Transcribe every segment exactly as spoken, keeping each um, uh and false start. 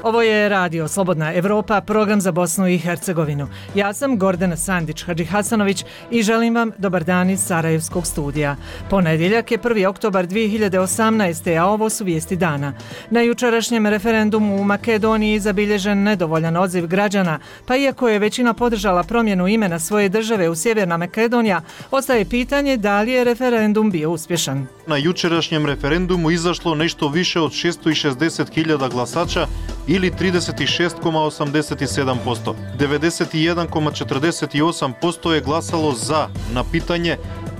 Ovo je Radio Slobodna Evropa, program za Bosnu i Hercegovinu. Ja sam Gordana Sandić-Hadžihasanović i želim vam dobar dan iz Sarajevskog studija. Ponedjeljak je prvi oktobar dvije hiljade osamnaeste. a ovo su vijesti dana. Na jučerašnjem referendumu u Makedoniji zabilježen nedovoljan odziv građana, pa iako je većina podržala promjenu imena svoje države u Sjeverna Makedonija, ostaje pitanje da li je referendum bio uspješan. Na jučerašnjem referendumu izašlo nešto više od šesto šezdeset hiljada glasača ili trideset šest zarez osamdeset sedam posto. devedeset jedan zarez četrdeset osam posto je glasalo za na pitanje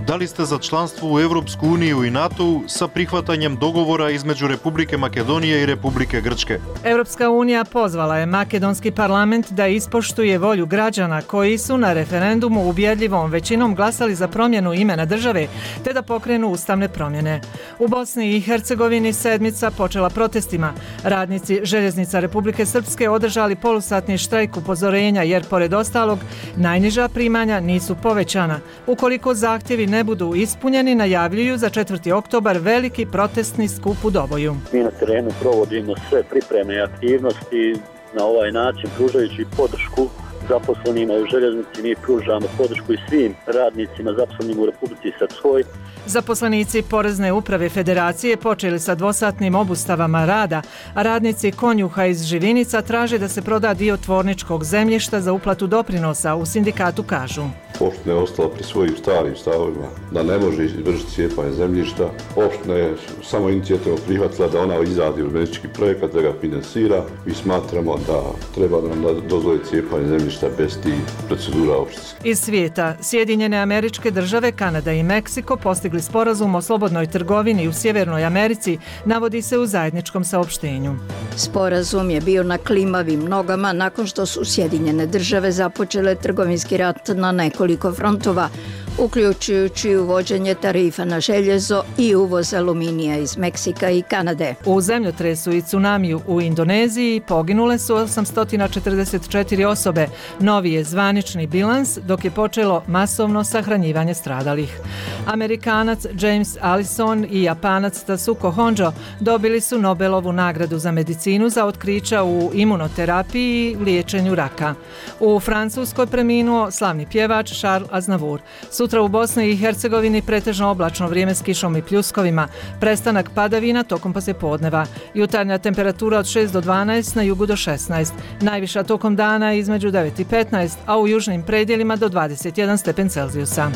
da li ste za članstvo u Europsku uniju i NATO sa prihvatanjem dogovora između Republike Makedonije i Republike Grčke. Europska unija pozvala je makedonski parlament da ispoštuje volju građana koji su na referendumu ubjedljivom većinom glasali za promjenu imena države te da pokrenu ustavne promjene. U Bosni i Hercegovini sedmica počela protestima. Radnici Željeznica Republike Srpske održali polusatni štrajk upozorenja jer pored ostalog najniža primanja nisu povećana. Ukoliko zahtjevi ne budu ispunjeni, najavljuju za četvrti oktobar veliki protestni skup u Doboju. Mi na terenu provodimo sve pripreme i aktivnosti na ovaj način pružajući podršku zaposlenima u željeznici. Mi pružamo podršku i svim radnicima zaposlenim u Republici Srpskoj. Zaposlenici Porezne uprave Federacije počeli sa dvosatnim obustavama rada, a radnici Konjuha iz Živinica traže da se proda dio tvorničkog zemljišta za uplatu doprinosa, u sindikatu kažu. Opština je ostala pri svojim starim stavovima da ne može izvršiti cijepanje zemljišta. Opština je samo inicijativno prihvatila da ona izradi urbanistički projekat, da ga finansira. Mi smatramo da treba da nam dozvoli cijepanje zemljišta bez tih procedura opštinskih. Iz svijeta, Sjedinjene Američke Države, Kanada i Meksiko postigli sporazum o slobodnoj trgovini u Sjevernoj Americi, navodi se u zajedničkom saopštenju. Sporazum je bio na klimavim nogama nakon što su Sjedinjene Države započele trgovinski rat na nekoliko frontova, uključujući uvođenje tarifa na željezo i uvoz aluminija iz Meksika i Kanade. U zemljotresu i tsunamiju u Indoneziji poginule su osamsto četrdeset četiri osobe. Novi je zvanični bilans, dok je počelo masovno sahranjivanje stradalih. Amerikanac James Allison i Japanac Tasuko Honjo dobili su Nobelovu nagradu za medicinu za otkrića u imunoterapiji i liječenju raka. U Francuskoj preminuo slavni pjevač Charles Aznavour. Sutra u Bosni i Hercegovini pretežno oblačno vrijeme s kišom i pljuskovima, prestanak padavina tokom poslijepodneva. Jutarnja temperatura od šest do dvanaest, na jugu do šesnaest. Najviša tokom dana između devet i petnaest, a u južnim predjelima do dvadeset jedan stepen Celzijusa.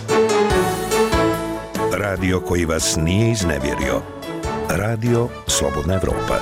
Radio koji vas nije iznevjerio. Radio Slobodna Evropa.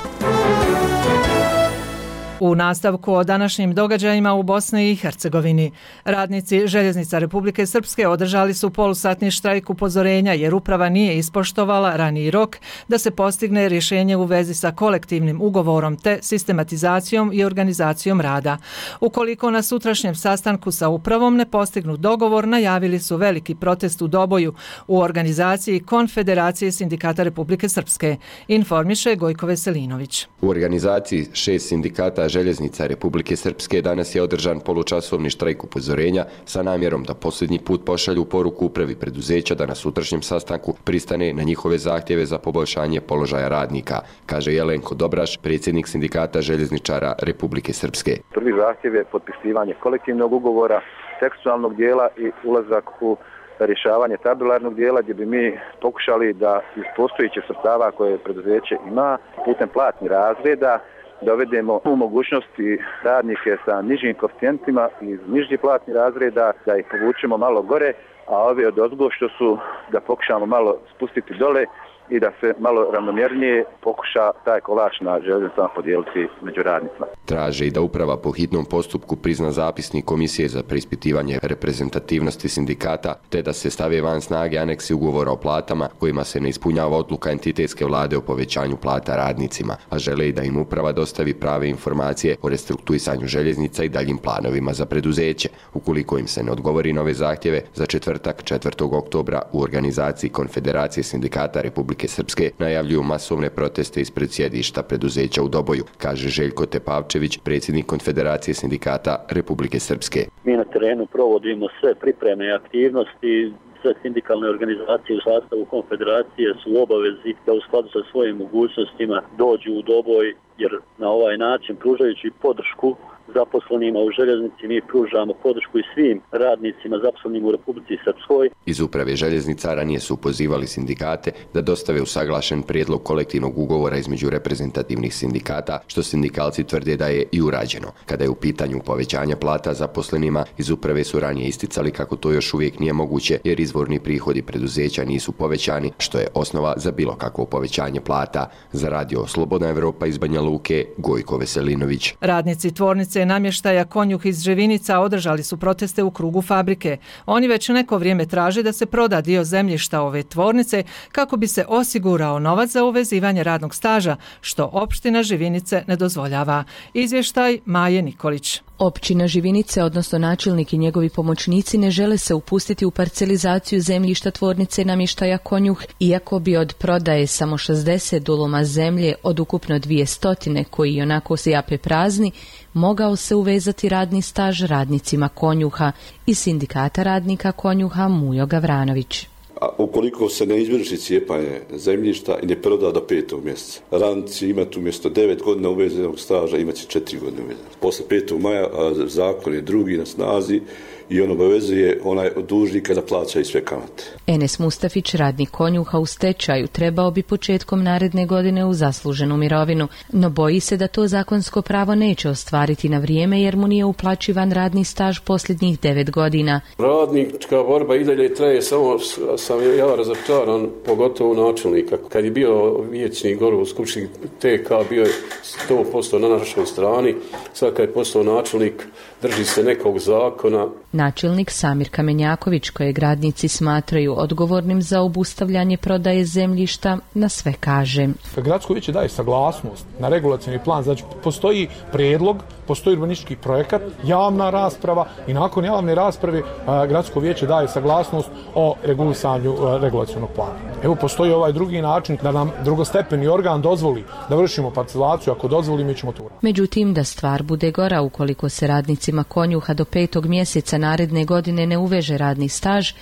U nastavku o današnjim događajima u Bosni i Hercegovini. Radnici Željeznica Republike Srpske održali su polusatni štrajk upozorenja jer uprava nije ispoštovala raniji rok da se postigne rješenje u vezi sa kolektivnim ugovorom te sistematizacijom i organizacijom rada. Ukoliko na sutrašnjem sastanku sa upravom ne postignu dogovor, najavili su veliki protest u Doboju u organizaciji Konfederacije sindikata Republike Srpske, informiše Gojko Veselinović. U organizaciji šest sindikata Željeznica Republike Srpske danas je održan polučasovni štrajk upozorenja sa namjerom da posljednji put pošalju poruku upravi preduzeća da na sutrašnjem sastanku pristane na njihove zahtjeve za poboljšanje položaja radnika, kaže Jelenko Dobraš, predsjednik sindikata željezničara Republike Srpske. Prvi zahtjev je potpisivanje kolektivnog ugovora, tekstualnog dijela i ulazak u rješavanje tabularnog dijela gdje bi mi pokušali da iz postojećih sredstava koje preduzeće ima putem platnih razreda dovedemo u mogućnosti radnike sa nižim koeficijentima iz nižih platnih razreda da ih povučemo malo gore, a ove od ozgo što su da pokušamo malo spustiti dole i da se malo ravnomjernije pokuša taj kolač na željeznicama podijeliti među radnicima. Traže i da uprava po hitnom postupku prizna zapisnik Komisije za preispitivanje reprezentativnosti sindikata, te da se stave van snage aneksi ugovora o platama kojima se ne ispunjava odluka entitetske vlade o povećanju plata radnicima, a žele i da im uprava dostavi prave informacije o restrukturisanju željeznica i daljim planovima za preduzeće. Ukoliko im se ne odgovori na ove zahtjeve, za četvrtak četvrtog oktobra u organizaciji Konfederacije sindikata Republike Srpske najavljuju masovne proteste ispred sjedišta preduzeća u Doboju, kaže Željko Tepavčević, predsjednik Konfederacije sindikata Republike Srpske. Mi na terenu provodimo sve pripreme i aktivnosti. Sve sindikalne organizacije u sastavu konfederacije su u obavezi da u skladu sa svojim mogućnostima dođu u Doboj jer na ovaj način pružajući podršku zaposlenima u željeznici mi pružamo podršku i svim radnicima zaposlenim u Republici Srpskoj. Iz uprave željeznica ranije su pozivali sindikate da dostave usaglašen prijedlog kolektivnog ugovora između reprezentativnih sindikata, što sindikalci tvrde da je i urađeno. Kada je u pitanju povećanja plata zaposlenima, iz uprave su ranije isticali kako to još uvijek nije moguće jer izvorni prihodi preduzeća nisu povećani, što je osnova za bilo kakvo povećanje plata. Za radio Slobodna Evropa iz Banja Luke, Gojko Veselinović. Radnici tvornice namještaja Konjuh iz Ževinica održali su proteste u krugu fabrike. Oni već neko vrijeme traže da se proda dio zemljišta ove tvornice kako bi se osigurao novac za uvezivanje radnog staža, što opština Živinice ne dozvoljava. Izvještaj Maje Nikolić. Općina Živinice, odnosno načelnik i njegovi pomoćnici, ne žele se upustiti u parcelizaciju zemljišta tvornice namještaja Konjuh, iako bi od prodaje samo šezdeset duluma zemlje od ukupno dvjesto koji onako se jape prazni, mogao se uvezati radni staž radnicima Konjuha i sindikata radnika Konjuha Mujo Gavranović. A ukoliko se ne izvrši cijepanje zemljišta i ne proda do petog mjeseca, radnici imati umjesto devet godina uvezenog staža imat će četiri godine uvezenog. Posle petog maja zakon je drugi na snazi i on obavezuje onaj od dužnika da plaća i sve kamate. Enes Mustafić, radnik Konjuha u stečaju, trebao bi početkom naredne godine u zasluženu mirovinu, no boji se da to zakonsko pravo neće ostvariti na vrijeme jer mu nije uplaćivan radni staž posljednjih devet godina. Radnička borba i dalje traje, samo sam ja razočaran, pogotovo načelnika. Kad je bio vijećnik gore u Skupštini T K, bio je sto posto na našoj strani, sad kad je postao načelnik, drži se nekog zakona. Načelnik Samir Kamenjaković, kojeg radnici smatraju odgovornim za obustavljanje prodaje zemljišta, na sve kaže. Gradsko vijeće daje saglasnost na regulacioni plan, znači postoji prijedlog, postoji urbanistički projekat, javna rasprava i nakon javne rasprave Gradsko vijeće daje saglasnost o regulisanju regulacionog plana. Evo postoji ovaj drugi način da nam drugostepeni organ dozvoli da vršimo parcelaciju, ako dozvoli mi ćemo to uraditi. Međutim, da stvar bude gora ukoliko se radnicima Konjuha do petog mjeseca naredne godine ne uveže radni staž,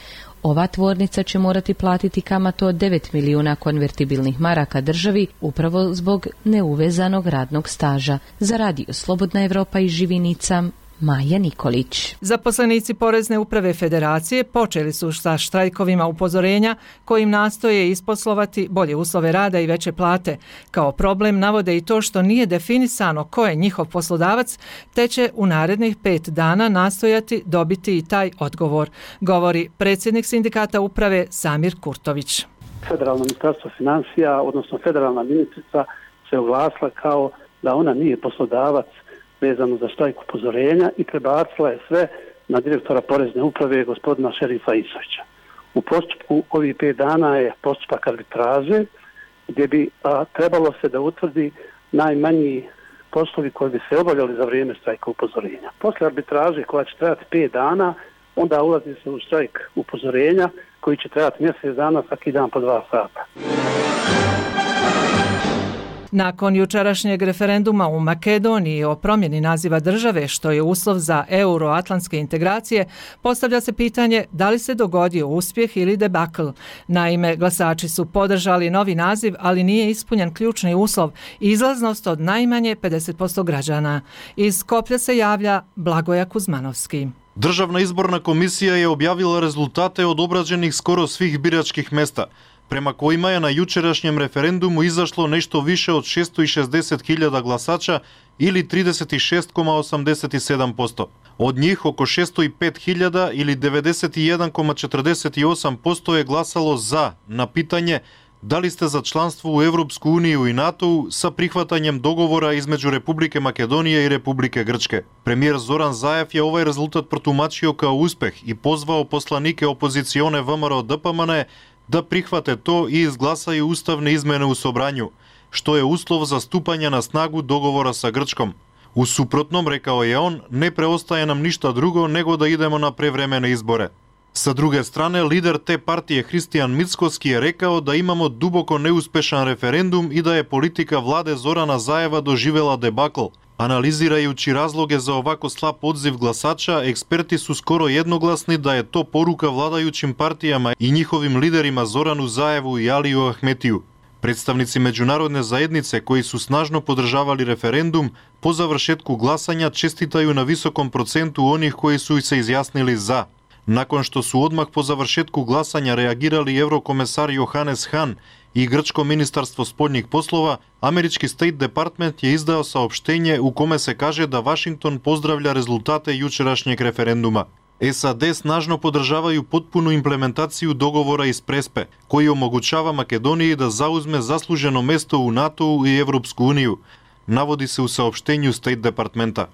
ova tvornica će morati platiti kamatu od devet milijuna konvertibilnih maraka državi upravo zbog neuvezanog radnog staža. Za radio Slobodna Evropa iz Živinica, Maja Nikolić. Zaposlenici Porezne uprave Federacije počeli su sa štrajkovima upozorenja kojim nastoje isposlovati bolje uslove rada i veće plate. Kao problem navode i to što nije definisano ko je njihov poslodavac, te će u narednih pet dana nastojati dobiti i taj odgovor, govori predsjednik sindikata uprave Samir Kurtović. Federalno ministarstvo financija, odnosno federalna ministrica, se oglasila kao da ona nije poslodavac vezano za štrajk upozorenja i prebacila je sve na direktora Porezne uprave gospodina Šerifa Isovića. U postupku ovih pet dana je postupak arbitraže gdje bi a, trebalo se da utvrdi najmanji poslovi koji bi se obavljali za vrijeme štrajka upozorenja. Posle arbitraže koja će trajati pet dana, onda ulazi se u štrajk upozorenja koji će trajati mjesec dana, svaki dan po dva sata. Nakon jučerašnjeg referenduma u Makedoniji o promjeni naziva države, što je uslov za euroatlantske integracije, postavlja se pitanje da li se dogodio uspjeh ili debakl. Naime, glasači su podržali novi naziv, ali nije ispunjen ključni uslov, izlaznost od najmanje pedeset posto građana. Iz Skoplja se javlja Blagoja Kuzmanovski. Državna izborna komisija je objavila rezultate od obrađenih skoro svih biračkih mesta, prema kojima je na jučerašnjem referendumu izašlo nešto više od šesto šezdeset hiljada glasača ili trideset šest zarez osamdeset sedam posto. Od njih oko šesto pet hiljada ili devedeset jedan zarez četrdeset osam posto je glasalo za na pitanje da li ste za članstvo u Evropsku uniju i NATO sa prihvatanjem dogovora između Republike Makedonije i Republike Grčke. Premijer Zoran Zaev je ovaj rezultat protumačio kao uspeh i pozvao poslanike opozicione V M R O D P M N da prihvate to i izglasaju ustavne izmene u Sobranju, što je uslov za stupanje na snagu dogovora sa Grčkom. U suprotnom, rekao je on, ne preostaje nam ništa drugo nego da idemo na prevremene izbore. Sa druge strane, lider te partije Hristijan Mickoski je rekao da imamo duboko neuspešan referendum i da je politika vlade Zorana Zaeva doživjela debakl. Analizirajući razloge za ovako slab odziv glasača, eksperti su skoro jednoglasni da je to poruka vladajućim partijama i njihovim liderima Zoranu Zaevu i Aliju Ahmetiju. Predstavnici međunarodne zajednice koji su snažno podržavali referendum, po završetku glasanja čestitaju na visokom procentu onih koji su se izjasnili za. Nakon što su odmah po završetku glasanja reagirali eurokomesar Johannes Hahn i grčko ministarstvo spoljnih poslova, američki State Department je izdao saopštenje u kome se kaže da Washington pozdravlja rezultate jučerašnjeg referenduma. S A D snažno podržavaju potpunu implementaciju dogovora iz Prespe, koji omogućava Makedoniji da zauzme zasluženo mesto u NATO-u i Evropsku uniju, navodi se u saopštenju State Departmenta.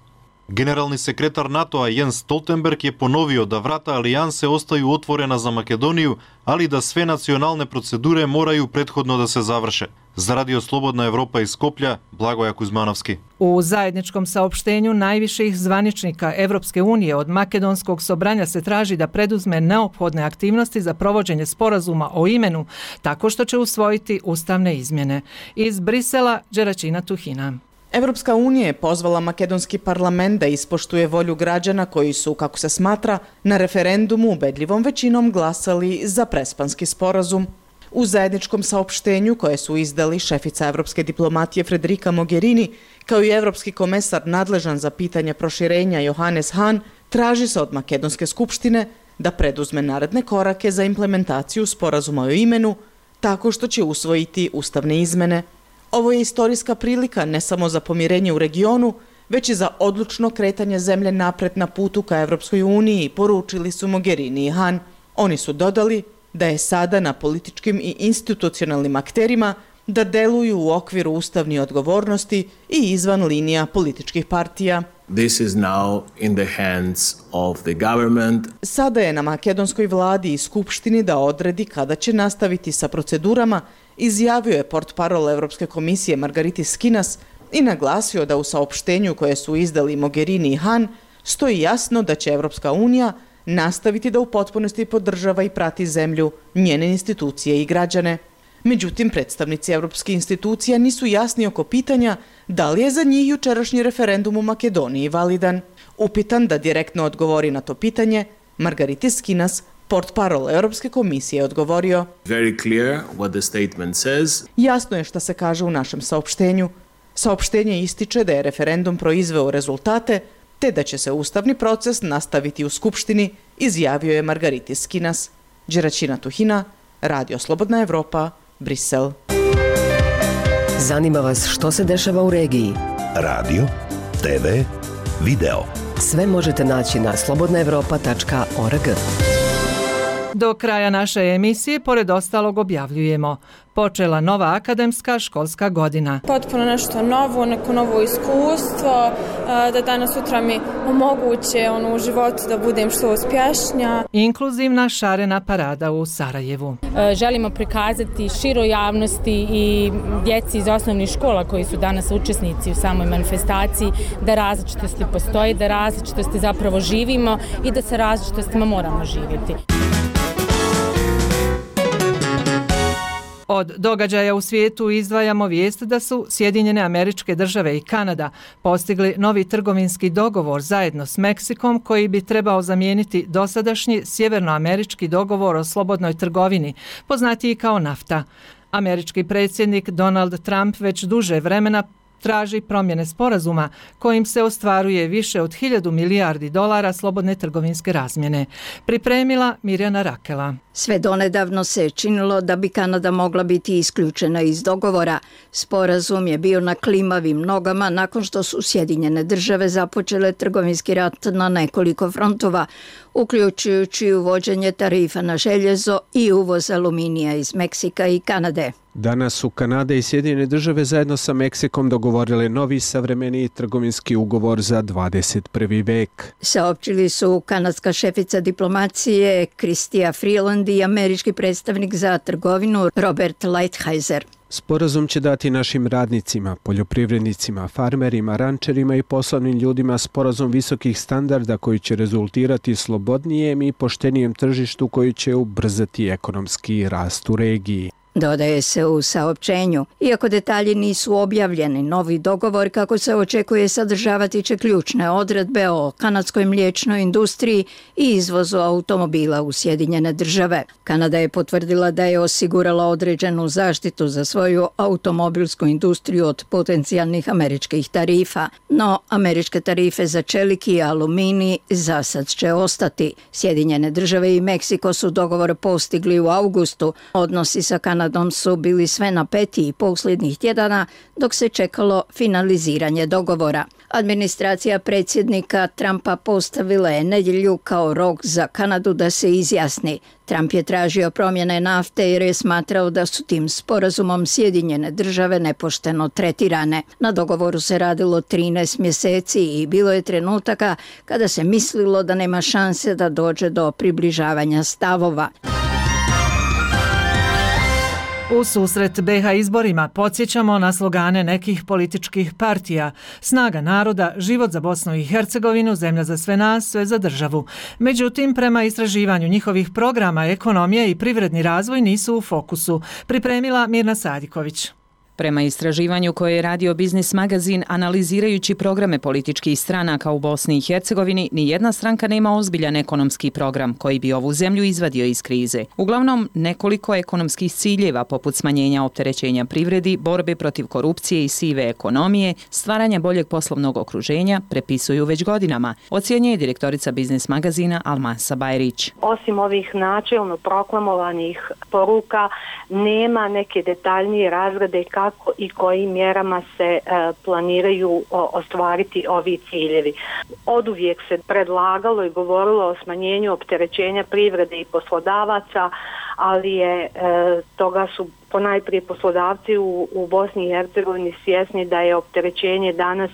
Generalni sekretar NATO-a Jens Stoltenberg je ponovio da vrata alijanse ostaju otvorena za Makedoniju, ali da sve nacionalne procedure moraju prethodno da se završe. Za Radio Slobodna Evropa iz Skoplja, Blagoja Kuzmanovski. U zajedničkom saopštenju najviših zvaničnika Evropske unije od Makedonskog sobranja se traži da preduzme neophodne aktivnosti za provođenje sporazuma o imenu, tako što će usvojiti ustavne izmjene. Iz Brisela, Đeračina Tuhina. Evropska unija je pozvala makedonski parlament da ispoštuje volju građana koji su, kako se smatra, na referendumu ubedljivom većinom glasali za prespanski sporazum. U zajedničkom saopštenju koje su izdali šefica evropske diplomatije Federica Mogherini kao i evropski komesar nadležan za pitanje proširenja Johannes Hahn, traži se od Makedonske skupštine da preduzme naredne korake za implementaciju sporazuma o imenu tako što će usvojiti ustavne izmene. Ovo je istorijska prilika ne samo za pomirenje u regionu, već i za odlučno kretanje zemlje napred na putu ka Evropskoj uniji, poručili su Mogherini i Hahn. Oni su dodali da je sada na političkim i institucionalnim akterima da deluju u okviru ustavne odgovornosti i izvan linija političkih partija. This is now in the hands of the government. Sada je na makedonskoj vladi i skupštini da odredi kada će nastaviti sa procedurama, izjavio je portparol Evropske komisije Margaritis Skinas i naglasio da u saopštenju koje su izdali Mogherini i Hahn stoji jasno da će Evropska unija nastaviti da u potpunosti podržava i prati zemlju, njene institucije i građane. Međutim, predstavnici evropskih institucija nisu jasni oko pitanja da li je za njih jučerašnji referendum u Makedoniji validan. Upitan da direktno odgovori na to pitanje, Margaritis Skinas, portparol Europske komisije, je odgovorio: Very clear what the statement says. Jasno je šta se kaže u našem saopštenju. Saopštenje ističe da je referendum proizveo rezultate, te da će se ustavni proces nastaviti u Skupštini, izjavio je Margaritis Skinas. Đeračina Tuhina, Radio Slobodna Evropa, Brisel. Zanima vas što se dešava u regiji? Radio, te ve, video. Sve možete naći na slobodna evropa tačka org. Do kraja naše emisije, pored ostalog, objavljujemo: počela nova akademska školska godina. Potpuno nešto novo, neko novo iskustvo, da danas sutra mi omoguće ono, u životu da budem što uspješnija. Inkluzivna šarena parada u Sarajevu. Želimo prikazati široj javnosti i djeci iz osnovnih škola koji su danas učesnici u samoj manifestaciji da različitosti postoji, da različitosti zapravo živimo i da sa različitostima moramo živjeti. Od događaja u svijetu izdvajamo vijest da su Sjedinjene Američke Države i Kanada postigli novi trgovinski dogovor zajedno s Meksikom koji bi trebao zamijeniti dosadašnji sjevernoamerički dogovor o slobodnoj trgovini, poznatiji kao NAFTA. Američki predsjednik Donald Trump već duže vremena traži promjene sporazuma kojim se ostvaruje više od hiljadu milijardi dolara slobodne trgovinske razmjene. Pripremila Mirjana Rakela. Sve donedavno se činilo da bi Kanada mogla biti isključena iz dogovora. Sporazum je bio na klimavim nogama nakon što su Sjedinjene Države započele trgovinski rat na nekoliko frontova, uključujući uvođenje tarifa na željezo i uvoz aluminija iz Meksika i Kanade. Danas su Kanada i Sjedinjene Države zajedno sa Meksikom dogovorile novi savremeniji trgovinski ugovor za dvadeset prvi vek. Saopćili su kanadska šefica diplomacije Chrystia Freeland i američki predstavnik za trgovinu Robert Lighthizer. Sporazum će dati našim radnicima, poljoprivrednicima, farmerima, rančerima i poslovnim ljudima sporazum visokih standarda koji će rezultirati slobodnijem i poštenijem tržištu koji će ubrzati ekonomski rast u regiji. dodaje se u saopćenju. Iako detalji nisu objavljeni, novi dogovor, kako se očekuje, sadržavati će ključne odredbe o kanadskoj mliječnoj industriji i izvozu automobila u Sjedinjene države. Kanada je potvrdila da je osigurala određenu zaštitu za svoju automobilsku industriju od potencijalnih američkih tarifa, no američke tarife za čelik i aluminij za sad će ostati. Sjedinjene države i Meksiko su dogovor postigli u augustu. Odnosi sa Kanadom su bili sve napetiji posljednjih tjedana dok se čekalo finaliziranje dogovora. Administracija predsjednika Trumpa postavila je nedjelju kao rok za Kanadu da se izjasni. Trump je tražio promjene nafte jer je smatrao da su tim sporazumom Sjedinjene države nepošteno tretirane. Na dogovoru se radilo trinaest mjeseci i bilo je trenutaka kada se mislilo da nema šanse da dođe do približavanja stavova. U susret be ha izborima podsjećamo na slogane nekih političkih partija: Snaga naroda, život za Bosnu i Hercegovinu, zemlja za sve nas, sve za državu. Međutim, prema istraživanju njihovih programa, ekonomija i privredni razvoj nisu u fokusu. Pripremila Mirna Sadiković. Prema istraživanju koje je radio Biznis magazin analizirajući programe političkih stranaka u Bosni i Hercegovini, ni jedna stranka nema ozbiljan ekonomski program koji bi ovu zemlju izvadio iz krize. Uglavnom, nekoliko ekonomskih ciljeva poput smanjenja opterećenja privredi, borbe protiv korupcije i sive ekonomije, stvaranja boljeg poslovnog okruženja prepisuju već godinama, ocjenjuje direktorica Biznis magazina Almasa Bajrić. Osim ovih načelno proklamovanih poruka, nema neke detaljnije razrade kako kako i kojim mjerama se e, planiraju o, ostvariti ovi ciljevi. Oduvijek se predlagalo i govorilo o smanjenju opterećenja privrede i poslodavaca, ali je e, toga su ponajprije poslodavci u, u Bosni i Hercegovini svjesni da je opterećenje danas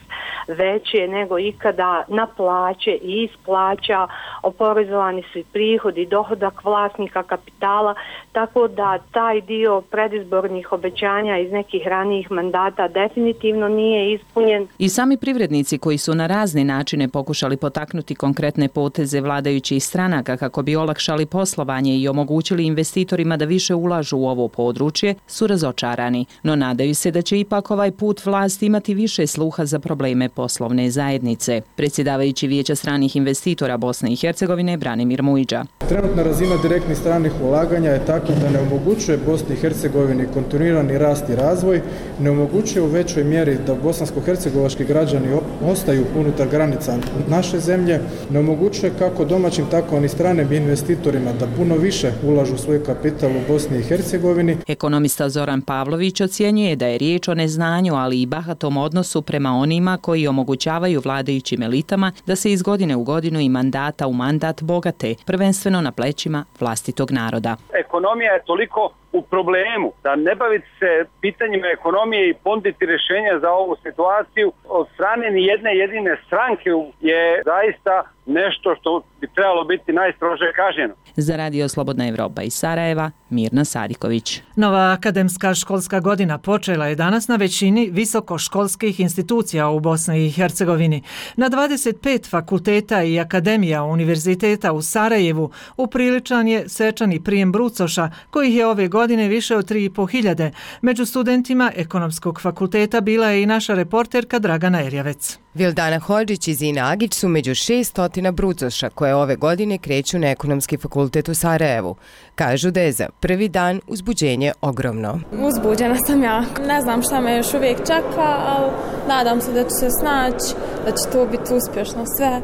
veće nego ikada na plaće i iz plaća, oporezovani su i prihodi i dohodak vlasnika kapitala, tako da taj dio predizbornih obećanja iz nekih ranijih mandata definitivno nije ispunjen. I sami privrednici koji su na razne načine pokušali potaknuti konkretne poteze vladajućih stranaka kako bi olakšali poslovanje i omogućili investitorima da više ulažu u ovo područje, su razočarani, no nadaju se da će ipak ovaj put vlast imati više sluha za probleme poslovne zajednice. Predsjedavajući Vijeća stranih investitora Bosne i Hercegovine Branimir Mujiđa. Trenutna razina direktnih stranih ulaganja je takva da ne omogućuje Bosni i Hercegovini kontinuirani rast i razvoj, ne omogućuje u većoj mjeri da bosansko-hercegovački građani ostaju unutar granica naše zemlje, ne omogućuje kako domaćim tako ni stranim investitorima da puno više ulažu svoj kapital u Bosni i Hercegovini. Ekonomista Zoran Pavlović ocjenjuje da je riječ o neznanju, ali i bahatom odnosu prema onima koji omogućavaju vladajućim elitama da se iz godine u godinu i mandata u mandat bogate, prvenstveno na plećima vlastitog naroda. Ekonomija je toliko u problemu da ne baviti se pitanjima ekonomije i ponuditi rješenja za ovu situaciju od strane ni jedne jedine stranke je zaista nešto što bi trebalo biti najstrože kažnjeno. Za Radio Slobodna Evropa iz Sarajeva, Mirna Sadiković. Nova akademska školska godina počela je danas na većini visokoškolskih institucija u Bosni i Hercegovini. Na dvadeset pet fakulteta i akademija univerziteta u Sarajevu upriličan je svečani prijem brucoša, kojih je ove godine više od tri i po hiljade. Među studentima Ekonomskog fakulteta bila je i naša reporterka Dragana Erjavec. Vildana Hodžić i Zina Agić su među šeststo brucoša koje ove godine kreću na Ekonomski fakultet u Sarajevu. Kažu da je za prvi dan uzbuđenje ogromno. Uzbuđena sam jako. Ne znam šta me još uvijek čeka, ali nadam se da ću se snaći, da će to biti uspješno sve.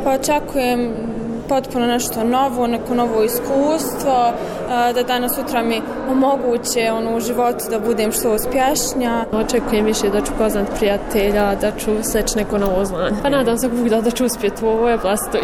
Pa očekujem potpuno nešto novo, neko novo iskustvo, da danas sutra mi omoguće ono, u životu da budem što uspješnija. Očekujem više da ću poznat prijatelja, da ću steći neko novo znanje. Pa nadam se da, da ću uspjeti u ovoj oblasti.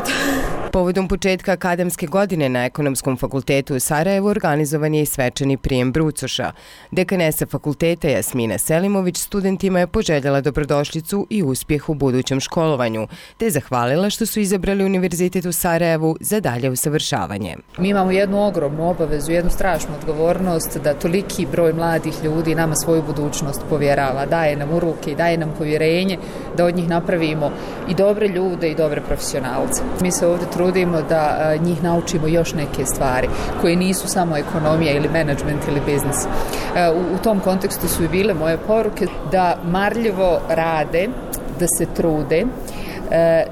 Povodom početka akademske godine na Ekonomskom fakultetu u Sarajevu organizovan je i svečani prijem brucoša. Dekanesa fakulteta Jasmina Selimović studentima je poželjela dobrodošlicu i uspjeh u budućem školovanju, te zahvalila što su izabrali Univerzitet u Sarajevu za dalje usavršavanje. Mi imamo jednu ogromnu obavezu, jednu strašnu odgovornost da toliki broj mladih ljudi nama svoju budućnost povjerava, daje nam u ruke i daje nam povjerenje da od njih napravimo i dobre ljude i dobre profesionalce. Mi se ovdje trudimo da njih naučimo još neke stvari koje nisu samo ekonomija ili menadžment ili biznis. U, u tom kontekstu su i bile moje poruke da marljivo rade, da se trude,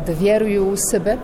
da vjeruju u sebe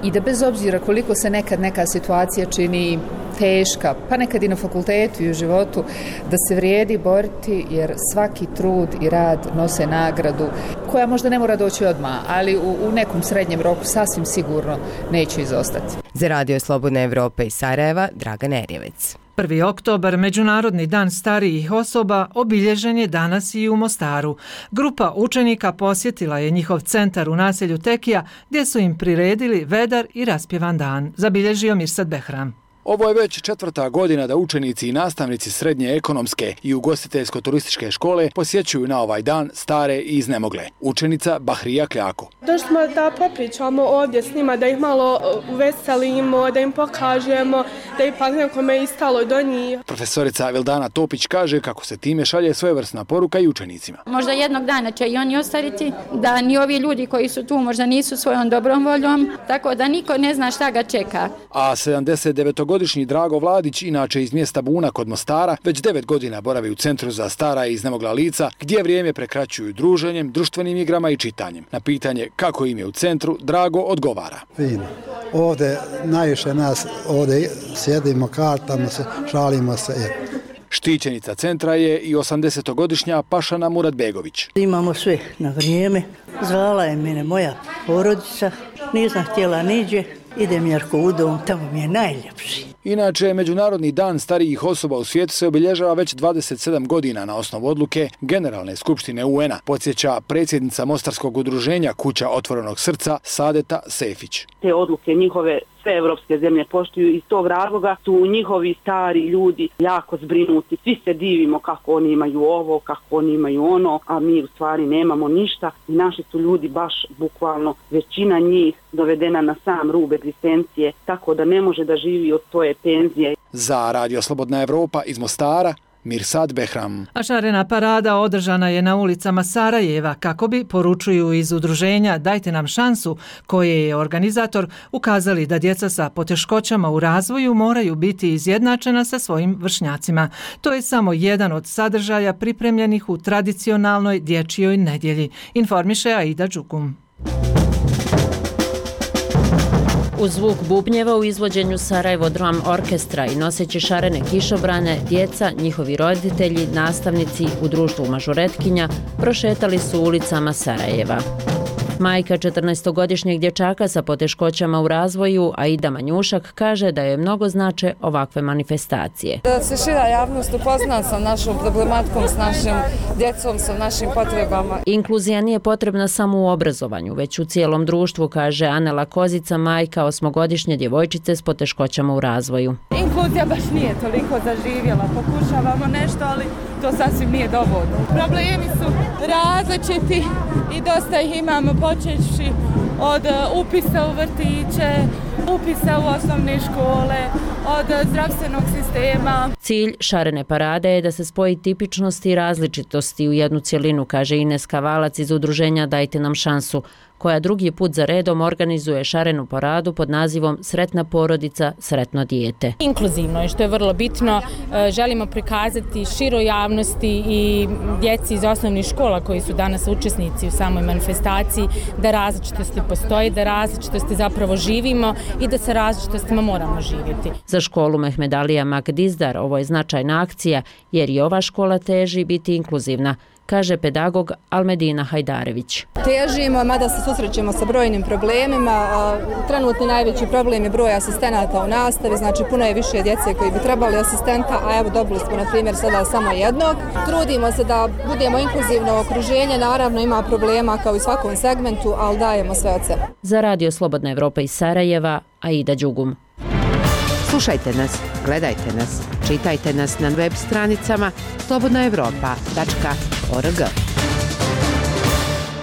i da bez obzira koliko se nekad neka situacija čini teška, pa nekad i na fakultetu i u životu, da se vrijedi boriti jer svaki trud i rad nose nagradu koja možda ne mora doći odmah, ali u, u nekom srednjem roku sasvim sigurno neće izostati. Za Radio Slobodne Evrope iz Sarajeva, Draga Nerjevec. prvi oktobar, Međunarodni dan starijih osoba, obilježen je danas i u Mostaru. Grupa učenika posjetila je njihov centar u naselju Tekija, gdje su im priredili vedar i raspjevan dan, zabilježio Mirsad Behram. Ovo je već četvrta godina da učenici i nastavnici srednje ekonomske i ugostiteljsko-turističke škole posjećuju na ovaj dan stare i iznemogle. Učenica Bahrija Kljako. Došli smo da popričamo ovdje s njima, da ih malo uveselimo, da im pokažemo, da ipak nekome je stalo do njih. Profesorica Vildana Topić kaže kako se time šalje svojevrsna poruka i učenicima. Možda jednog dana će i oni ostariti, da ni ovi ljudi koji su tu možda nisu svojom dobrom voljom, tako da niko ne zna šta ga čeka. A sedamdeset devetogodišnji Drago Vladić, inače iz mjesta Buna kod Mostara, već devet godina boravi u Centru za stara i iznemogla lica, gdje vrijeme prekraćuju druženjem, društvenim igrama i čitanjem. Na pitanje kako im je u centru, Drago odgovara. Fino. Ovdje najviše nas, ovdje sjedimo, kartamo se, šalimo se. Štićenica centra je i osamdesetogodišnja Pašana Muradbegović. Imamo sve na vrijeme. Zvala je mene moja porodica, nisam htjela niđe. Idem Jarko u dom, tamo mi je najljepši. Inače, Međunarodni dan starijih osoba u svijetu se obilježava već dvadeset sedam godina na osnovu odluke Generalne skupštine U N-a, podsjeća predsjednica Mostarskog udruženja Kuća otvorenog srca Sadeta Sefić. Te odluke njihove sve evropske zemlje poštuju, iz tog razloga su njihovi stari ljudi jako zbrinuti. Svi se divimo kako oni imaju ovo, kako oni imaju ono, a mi u stvari nemamo ništa i naši su ljudi baš bukvalno većina njih dovedena na sam rub egzistencije, tako da ne može da živi od svoje penzije. Za Radio Slobodna Evropa iz Mostara, Mirsad Behram. A šarena parada održana je na ulicama Sarajeva kako bi, poručuju iz udruženja Dajte nam šansu, koje je organizator, ukazali da djeca sa poteškoćama u razvoju moraju biti izjednačena sa svojim vršnjacima. To je samo jedan od sadržaja pripremljenih u tradicionalnoj dječjoj nedjelji, informiše Aida Đukum. Uz zvuk bubnjeva u izvođenju Sarajevo Drum Orkestra i noseći šarene kišobrane, djeca, njihovi roditelji, nastavnici u društvu mažuretkinja prošetali su ulicama Sarajeva. Majka četrnaestogodišnjeg dječaka sa poteškoćama u razvoju, Aida Manjušak, kaže da je mnogo znače ovakve manifestacije. Da se šira javnost upozna sa našom problematikom, s našim djecom, sa našim potrebama. Inkluzija nije potrebna samo u obrazovanju, već u cijelom društvu, kaže Anela Kozica, majka osmogodišnje djevojčice s poteškoćama u razvoju. Inkluzija baš nije toliko zaživjela, pokušavamo nešto, ali to sasvim nije dovoljno. Problemi su različiti i dosta ih imamo, počevši od upisa u vrtiće, upisa u osnovne škole, od zdravstvenog sistema. Cilj šarene parade je da se spoji tipičnosti i različitosti u jednu cjelinu, kaže Ines Kavalac iz udruženja Dajte nam šansu, koja drugi put za redom organizuje šarenu paradu pod nazivom Sretna porodica, sretno dijete. Inkluzivno je, što je vrlo bitno. Želimo prikazati široj javnosti i djeci iz osnovnih škola koji su danas učesnici u samoj manifestaciji da različitosti postoji, da različitosti zapravo živimo i da sa različitostima moramo živjeti. Za školu Mehmed Alija Magdizdar ovo je značajna akcija jer i ova škola teži biti inkluzivna, kaže pedagog Almedina Hajdarević. Težimo, mada se susrećemo sa brojnim problemima. Trenutni najveći problem je broj asistenata u nastavi, znači puno je više djece koji bi trebali asistenta, a evo dobili smo na primjer sada samo jednog. Trudimo se da budemo inkluzivno okruženje, naravno ima problema kao i u svakom segmentu, ali dajemo sve od sebe. Za Radio Slobodna Evropa iz Sarajeva, Aida Đugum. Slušajte nas, gledajte nas, čitajte nas na web stranicama slobodna evropa tačka org.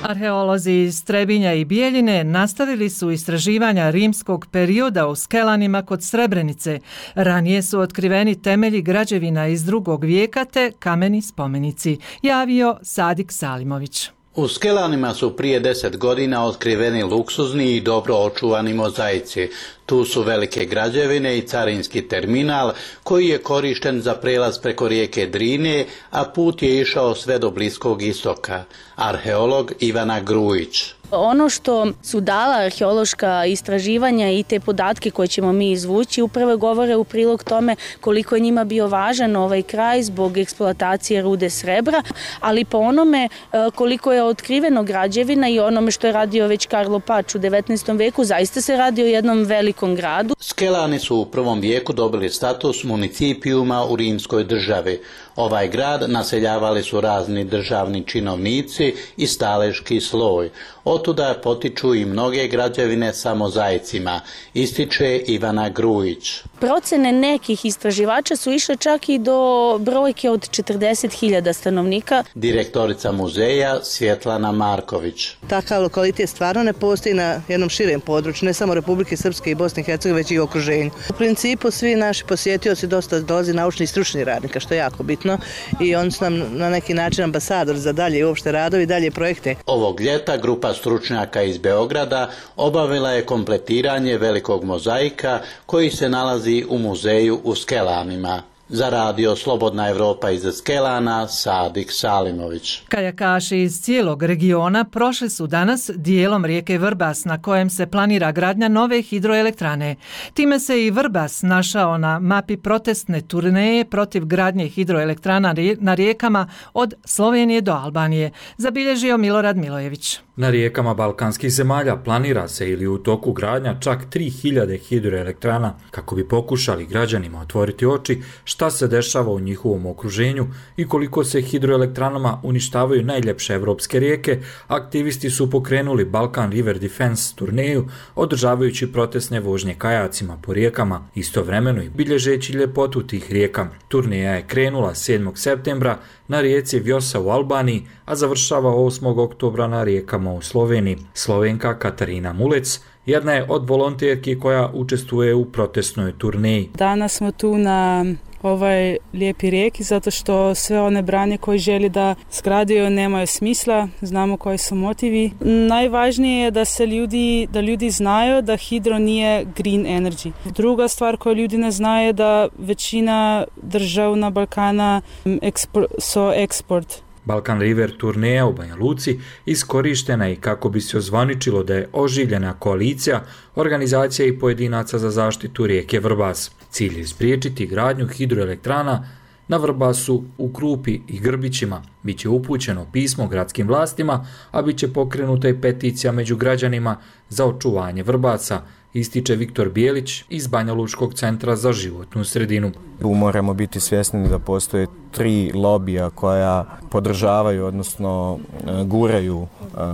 Arheolozi iz Trebinja i Bijeljine nastavili su istraživanja rimskog perioda u Skelanima kod Srebrenice. Ranije su otkriveni temelji građevina iz drugog vijeka te kameni spomenici, javio Sadik Salimović. U Skelanima su prije deset godina otkriveni luksuzni i dobro očuvani mozaici. Tu su velike građevine i carinski terminal koji je korišten za prelaz preko rijeke Drine, a put je išao sve do Bliskog istoka. Arheolog Ivana Grujić. Ono što su dala arheološka istraživanja i te podatke koje ćemo mi izvući upravo govore u prilog tome koliko je njima bio važan ovaj kraj zbog eksploatacije rude srebra, ali po onome koliko je otkriveno građevina i onome što je radio već Karlo Pač u devetnaestom veku, zaista se radi o jednom velikom gradu. Skelani su u prvom vijeku dobili status municipijuma u rimskoj državi. Ovaj grad naseljavali su razni državni činovnici i staleški sloj. Otuda potiču i mnoge građevine sa mozaicima, ističe Ivana Grujić. Procene nekih istraživača su išle čak i do brojke od četrdeset hiljada stanovnika. Direktorica muzeja Svjetlana Marković. Takav lokalitet stvarno ne postoji na jednom širem području, ne samo Republike Srpske i Bosne i Hercegovine, već i okruženju. U principu svi naši posjetioci dosta dolazi naučni i stručni radnika, što je jako bitno, i oni su nam na neki način ambasador za dalje i uopšte radovi i dalje projekte. Ovog ljeta grupa stručnjaka iz Beograda obavila je kompletiranje velikog mozaika koji se nalazi u muzeju u Skelanima. Za radio Slobodna Evropa iz Skelana, Sadik Salimović. Kajakaši iz cijelog regiona prošli su danas dijelom rijeke Vrbas na kojem se planira gradnja nove hidroelektrane. Time se i Vrbas našao na mapi protestne turneje protiv gradnje hidroelektrana na rijekama od Slovenije do Albanije, zabilježio Milorad Milojević. Na rijekama balkanskih zemalja planira se ili u toku gradnja čak tri hiljade hidroelektrana kako bi pokušali građanima otvoriti oči šta se dešava u njihovom okruženju i koliko se hidroelektranama uništavaju najljepše evropske rijeke. Aktivisti su pokrenuli Balkan River Defense turneju, održavajući protestne vožnje kajacima po rijekama, istovremeno i bilježeći ljepotu tih rijeka. Turneja je krenula sedmog septembra na rijeci Vjosa u Albaniji, a završava osmog oktobra na rijekama u Sloveniji. Slovenka Katarina Mulec jedna je od volonterki koja učestvuje u protestnoj turneji. Danas smo tu na ovaj lijepi rijeki zato što sve one branje koji želi da zgradio nemaju smisla, znamo koji su motivi. Najvažnije je da se ljudi, da ljudi znaju da hidro nije green energy. Druga stvar koju ljudi ne znaju je da većina država na Balkana ekspor, so eksport. Balkan River turneja u Banja Luci iskorištena i kako bi se ozvaničilo da je oživljena koalicija organizacija i pojedinaca za zaštitu rijeke Vrbas. Cilj je spriječiti gradnju hidroelektrana na Vrbasu, u Krupi i Grbićima. Biće upućeno pismo gradskim vlastima, a bit će pokrenuta i peticija među građanima za očuvanje Vrbasa, ističe Viktor Bijelić iz Banja Lučkog centra za životnu sredinu. Tu moramo biti svjesni da postoje tri lobija koja podržavaju, odnosno guraju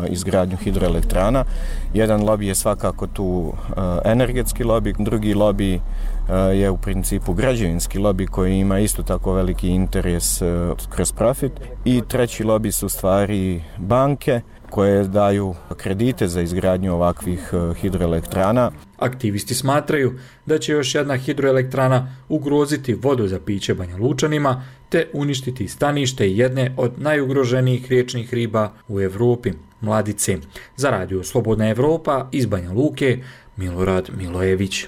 izgradnju hidroelektrana. Jedan lobij je svakako tu energetski lobij, drugi lobij je u principu građevinski lobij koji ima isto tako veliki interes kroz profit i treći lobij su stvari banke koje daju kredite za izgradnju ovakvih hidroelektrana. Aktivisti smatraju da će još jedna hidroelektrana ugroziti vodu za piće Banja Lučanima te uništiti stanište jedne od najugroženijih riječnih riba u Evropi, mladice. Za radio Slobodna Evropa iz Banja Luke, Milorad Milojević.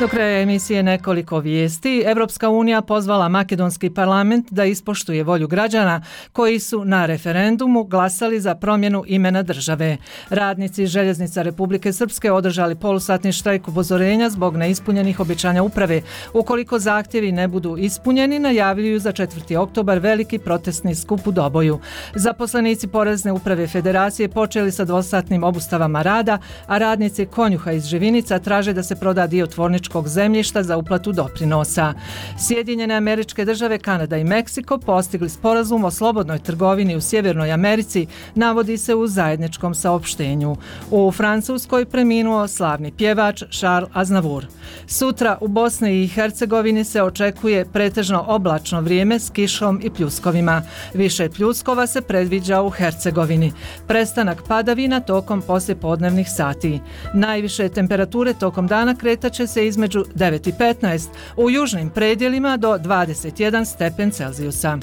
Do kraja emisije nekoliko vijesti. Evropska unija pozvala makedonski parlament da ispoštuje volju građana koji su na referendumu glasali za promjenu imena države. Radnici Željeznica Republike Srpske održali polusatni štrajk upozorenja zbog neispunjenih obećanja uprave. Ukoliko zahtjevi ne budu ispunjeni, najavljuju za četvrti oktobar veliki protestni skup u Doboju. Zaposlenici Porezne uprave Federacije počeli sa dvosatnim obustavama rada, a radnici Konjuha iz Živinica traže da se proda dio tvorničkog zemljišta za uplatu doprinosa. Sjedinjene Američke Države, Kanada i Meksiko postigli sporazum o slobodnoj trgovini u Sjevernoj Americi, navodi se u zajedničkom saopštenju. U Francuskoj preminuo slavni pjevač Charles Aznavour. Sutra u Bosni i Hercegovini se očekuje pretežno oblačno vrijeme s kišom i pljuskovima. Više pljuskova se predviđa u Hercegovini. Prestanak padavina tokom poslijepodnevnih sati. Najviše temperature tokom dana kretaće se između devet i petnaest, u južnim predjelima do dvadeset jedan stepen Celzijusa.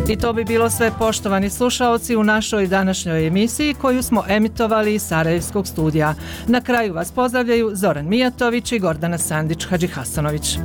I to bi bilo sve, poštovani slušaoci, u našoj današnjoj emisiji koju smo emitovali iz Sarajevskog studija. Na kraju vas pozdravljaju Zoran Mijatović i Gordana Sandić-Hadžihasanović.